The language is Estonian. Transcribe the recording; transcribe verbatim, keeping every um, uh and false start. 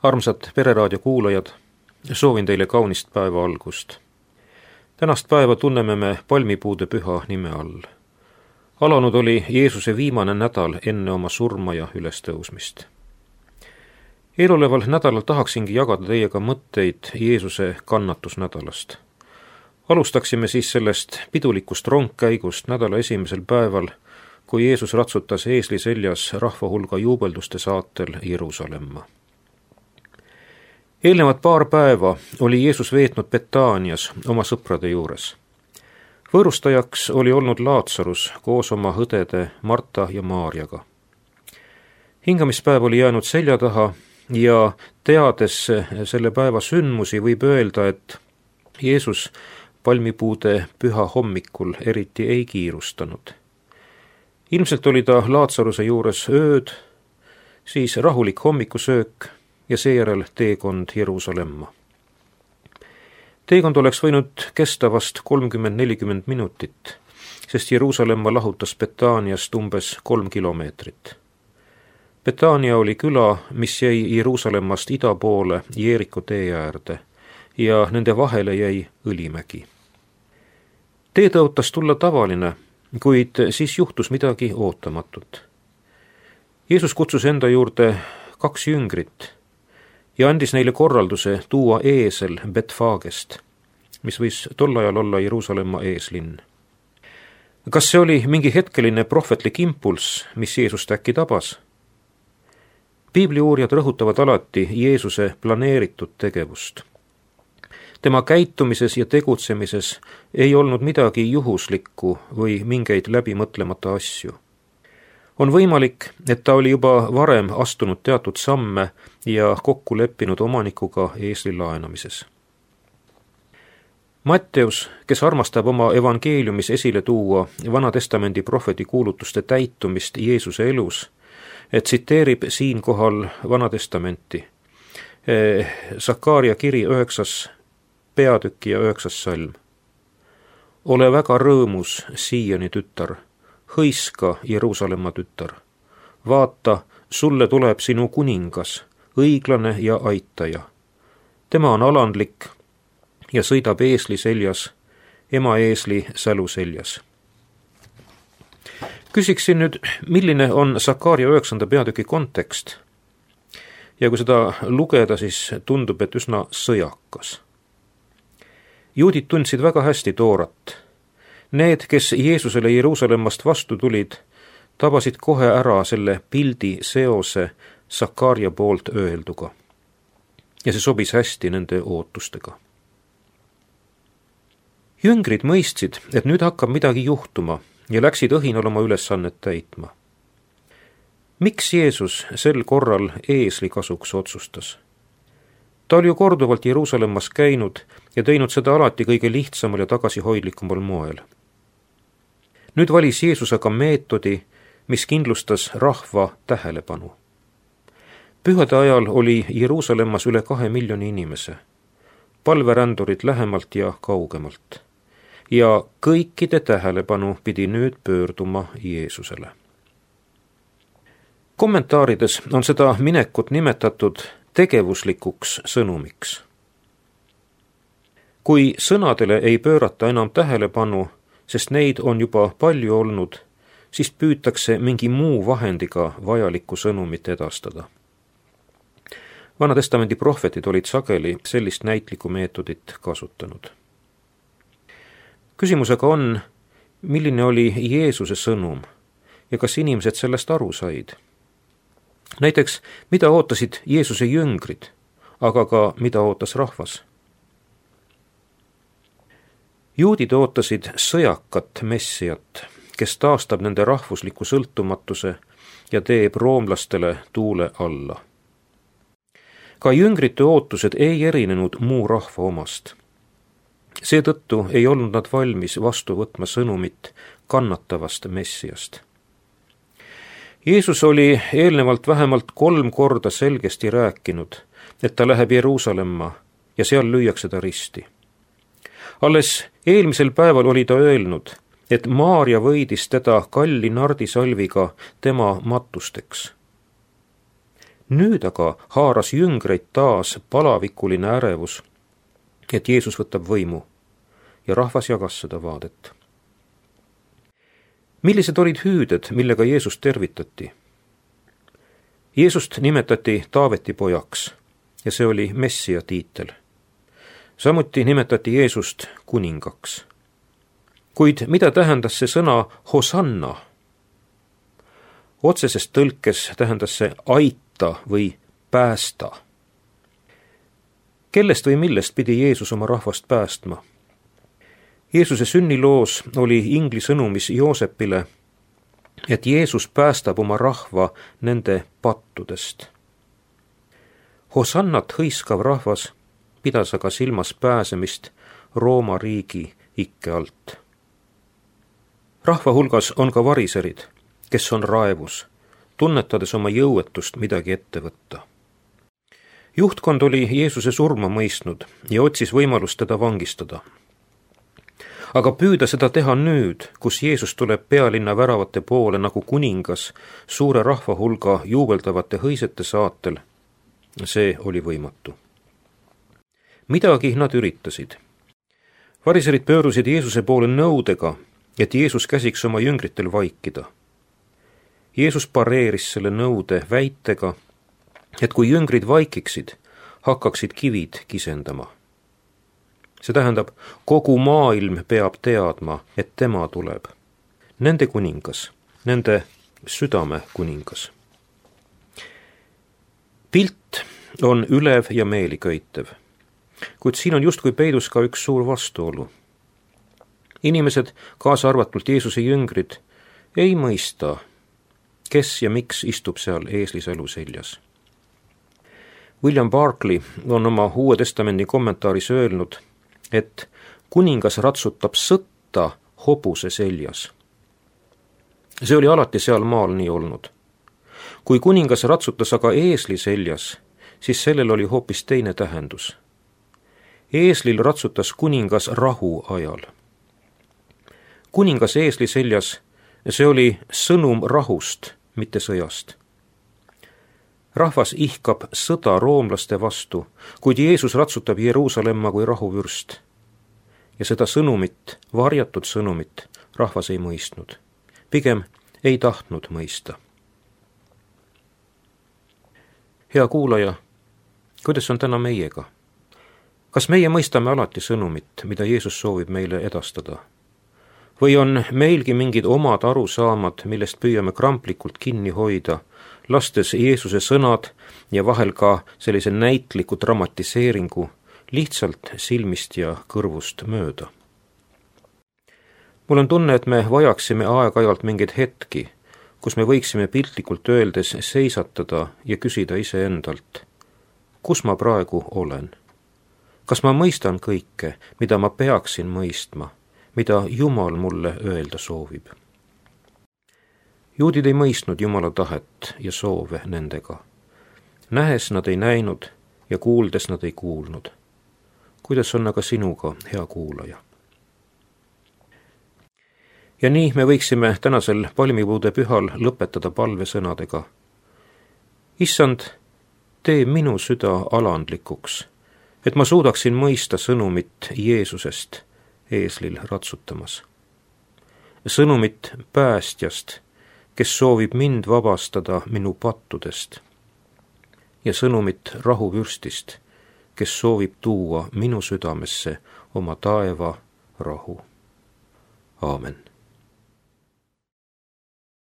Armsad Pereraadio kuulajad, soovin teile kaunist päeva algust. Tänast päeva tunneme me palmipuude püha nime all. Alanud oli Jeesuse viimane nädal enne oma surma ja ülestõusmist. Eeloleval nädalal tahaksingi jagada teiega mõtteid Jeesuse kannatusnädalast. Alustaksime siis sellest pidulikust rongkäigust nädala esimesel päeval, kui Jeesus ratsutas eesli seljas rahva hulga juubelduste saatel Jeruusalemma. Eelnevad paar päeva oli Jeesus veetnud Betaanias oma sõprade juures. Võõrustajaks oli olnud Laatsarus koos oma õdede Marta ja Maarjaga. Hingamispäev oli jäänud selja taha ja teades selle päeva sündmusi võib öelda, et Jeesus palmipuude püha hommikul eriti ei kiirustanud. Ilmselt oli ta Laatsaruse juures ööd, siis rahulik hommikusöök ja seejärel teekond Jeruusalemma. Teekond oleks võinud kesta vast kolmkümmend nelikümmend minutit, sest Jeruusalemma lahutas Betaaniast umbes kolm kilomeetrit. Betaania oli küla, mis jäi Jeruusalemmast ida poole Jeeriko tee äärde ja nende vahele jäi Õlimägi. Tee tõotas tulla tavaline, kuid siis juhtus midagi ootamatut. Jeesus kutsus enda juurde kaks jüngrit ja andis neile korralduse tuua eesel Betfagest, mis võis tol ajal olla Jeruusalemma eeslinn. Kas see oli mingi hetkeline prohvetlik impulss, mis Jeesust äkki tabas? Piibliuurijad rõhutavad alati Jeesuse planeeritud tegevust. Tema käitumises ja tegutsemises ei olnud midagi juhuslikku või mingeid läbimõtlemata asju. On võimalik, et ta oli juba varem astunud teatud samme ja kokku leppinud omanikuga eesli laenamises. Matteus, kes armastab oma evangeeliumis esile tuua Vana-testamendi prohveti kuulutuste täitumist Jeesuse elus, tsiteerib siinkohal Vana-testamenti. Sakaaria kiri üheksas peatüki ja üheksas salm. Ole väga rõõmus, Sioni tütar, hõiska, Jeruusalemma tütar. Vaata, sulle tuleb sinu kuningas, õiglane ja aitaja. Tema on alandlik ja sõidab eesli seljas, ema eesli sälu seljas. Küsiksin nüüd, milline on Sakaaria üheksanda peatüki kontekst? Ja kui seda lugeda, siis tundub, et üsna sõjakas. Juudid tundsid väga hästi Toorat. Need, kes Jeesusele Jeruusalemmast vastu tulid, tabasid kohe ära selle pildi seose Sakaaria poolt öelduga. Ja see sobis hästi nende ootustega. Jüngrid mõistsid, et nüüd hakkab midagi juhtuma ja läksid õhinal oma ülesannet täitma. Miks Jeesus sel korral eesli kasuks otsustas? Ta oli ju korduvalt Jeruusalemmas käinud ja teinud seda alati kõige lihtsamal ja tagasihoidlikumal moel. Nüüd valis Jeesus aga meetodi, mis kindlustas rahva tähelepanu. Pühade ajal oli Jeruusalemmas üle kahe miljoni inimese, palverändurid lähemalt ja kaugemalt, ja kõikide tähelepanu pidi nüüd pöörduma Jeesusele. Kommentaarides on seda minekut nimetatud tegevuslikuks sõnumiks. Kui sõnadele ei pöörata enam tähelepanu, sest neid on juba palju olnud, siis püütakse mingi muu vahendiga vajalikku sõnumit edastada. Vana-testamendi prohvetid olid sageli sellist näitlikku meetodit kasutanud. Küsimusega on, milline oli Jeesuse sõnum ja kas inimesed sellest aru said? Näiteks, mida ootasid Jeesuse jüngrid, aga ka mida ootas rahvas? Juudid ootasid sõjakat messiat, kes taastab nende rahvusliku sõltumatuse ja teeb roomlastele tuule alla. Ka jüngrite ootused ei erinenud muu rahva omast. Seetõttu ei olnud nad valmis vastu võtma sõnumit kannatavast messiast. Jeesus oli eelnevalt vähemalt kolm korda selgesti rääkinud, et ta läheb Jeruusalemma ja seal lüüakse ta risti. Alles eelmisel päeval oli ta öelnud, et Maarja võidis teda kalli nardisalviga tema matusteks. nüüd aga haaras jüngreid taas palavikuline ärevus, et Jeesus võtab võimu, ja rahvas jagas seda vaadet. Millised olid hüüded, millega Jeesust tervitati? Jeesust nimetati Taaveti pojaks ja see oli Messia tiitel. Samuti nimetati Jeesust kuningaks. Kuid mida tähendas see sõna Hosanna? Otseses tõlkes tähendas see aita või päästa. Kellest või millest pidi Jeesus oma rahvast päästma? Jeesuse sünniloos oli ingli sõnumis Joosepile, et Jeesus päästab oma rahva nende pattudest. Hosannat hõiskav rahvas pidas aga silmas pääsemist Rooma riigi ikke alt. Rahva hulgas on ka variserid, kes on raevus, tunnetades oma jõuetust midagi ette võtta. Juhtkond oli Jeesuse surma mõistnud ja otsis võimalust teda vangistada. Aga püüda seda teha nüüd, kus Jeesus tuleb pealinna väravate poole nagu kuningas suure rahva hulga juubeldavate hõisete saatel, see oli võimatu. Midagi nad üritasid. Variserid pöörusid Jeesuse poole nõudega, et Jeesus käsiks oma jüngritel vaikida. Jeesus pareeris selle nõude väitega, et kui jüngrid vaikiksid, hakkaksid kivid kisendama. See tähendab, kogu maailm peab teadma, et tema tuleb. Nende kuningas, nende südame kuningas. Pilt on ülev ja meeliköitev, kuid siin on justkui peidus ka üks suur vastuolu. Inimesed, kaasa arvatult Jeesuse jüngrid, ei mõista, kes ja miks istub seal eesliselu seljas. William Barclay on oma Uue Testamendi kommentaaris öelnud, et kuningas ratsutab sõtta hobuse seljas. See oli alati seal maal nii olnud. Kui kuningas ratsutas aga eesli seljas, siis sellel oli hoopis teine tähendus. Eeslil ratsutas kuningas rahu ajal. Kuningas eesli seljas, see oli sõnum rahust, mitte sõjast. Rahvas ihkab sõda roomlaste vastu, kuid Jeesus ratsutab Jeruusalemma kui rahuvürst. Ja seda sõnumit, varjatud sõnumit, rahvas ei mõistnud. Pigem ei tahtnud mõista. Hea kuulaja, kuidas on täna meiega? Kas meie mõistame alati sõnumit, mida Jeesus soovib meile edastada? Või on meilgi mingid omad arusaamad, millest püüame kramplikult kinni hoida, lastes Jeesuse sõnad ja vahel ka sellise näitliku dramatiseeringu lihtsalt silmist ja kõrvust mööda? Mul on tunne, et me vajaksime aeg-ajalt mingeid hetki, kus me võiksime piltlikult öeldes seisatada ja küsida iseendalt, kus ma praegu olen? Kas ma mõistan kõike, mida ma peaksin mõistma, mida Jumal mulle öelda soovib? Juudid ei mõistnud Jumala tahet ja soove nendega. Nähes nad ei näinud ja kuuldes nad ei kuulnud. Kuidas on aga sinuga, hea kuulaja? Ja nii me võiksime tänasel palmipuude pühal lõpetada palvesõnadega. Issand, tee minu süda alandlikuks, et ma suudaksin mõista sõnumit Jeesusest eeslil ratsutamas. Sõnumit päästjast, kes soovib mind vabastada minu pattudest, ja sõnumit rahuvürstist, kes soovib tuua minu südamesse oma taeva rahu. Aamen.